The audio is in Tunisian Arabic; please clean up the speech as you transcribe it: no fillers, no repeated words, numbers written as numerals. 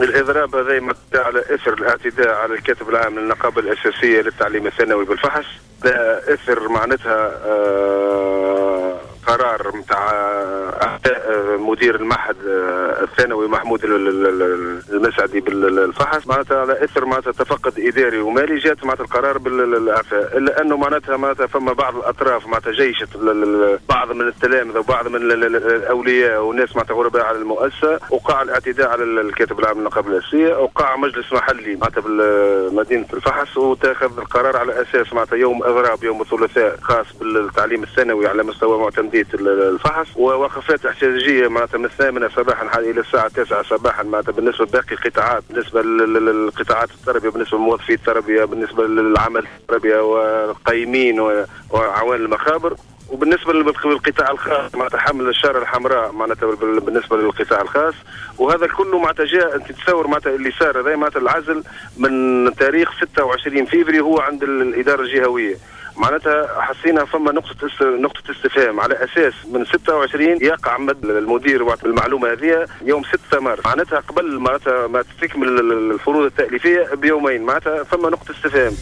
الإضراب هذا على إثر الاعتداء على الكاتب العام للنقابة الأساسية للتعليم الثانوي بالفحص، ده إثر معناتها قرار نتاع مدير المعهد الثانوي محمود المسعدي بالفحص، معناتها على اثر معناتها تفقد اداري ومالي جات معناتها القرار بالاعفاء، الا انه معناتها فما بعض الاطراف معناتها جيشت بعض من التلامذه وبعض من الاولياء والناس معناتها غرباء على المؤسسة، وقع الاعتداء على الكاتب العام للنقابه الاساسية، وقع مجلس محلي معناتها بمدينة الفحص وتاخذ القرار على اساس معناتها يوم اضراب يوم الثلاثاء خاص بالتعليم الثانوي على مستوى معتمديه الفحص، ووقفات احتجاجية معناتها من 8 صباحا الى الساعة 9 صباحا معناتها بالنسبة لباقي القطاعات، بالنسبة للقطاعات التربية، بالنسبة لموظفي التربية، بالنسبة للعمل التربية والقيمين وعوان المخابر، وبالنسبة للقطاع الخاص معناتها حمل الشارة الحمراء معناتها بالنسبة للقطاع الخاص. وهذا كله معناتها جاء، انت تصور معناتها اللي صار هذا معناتها العزل من تاريخ 26 فيفري هو عند الادارة الجهوية، معناتها حسينا فما نقطة استفهام على أساس من 26 يقع مد المدير وقت المعلومة هذه يوم 6 مارس، معناتها قبل معناتها ما تكمل الفروض التأليفية بيومين، معناتها فما نقطة استفهام.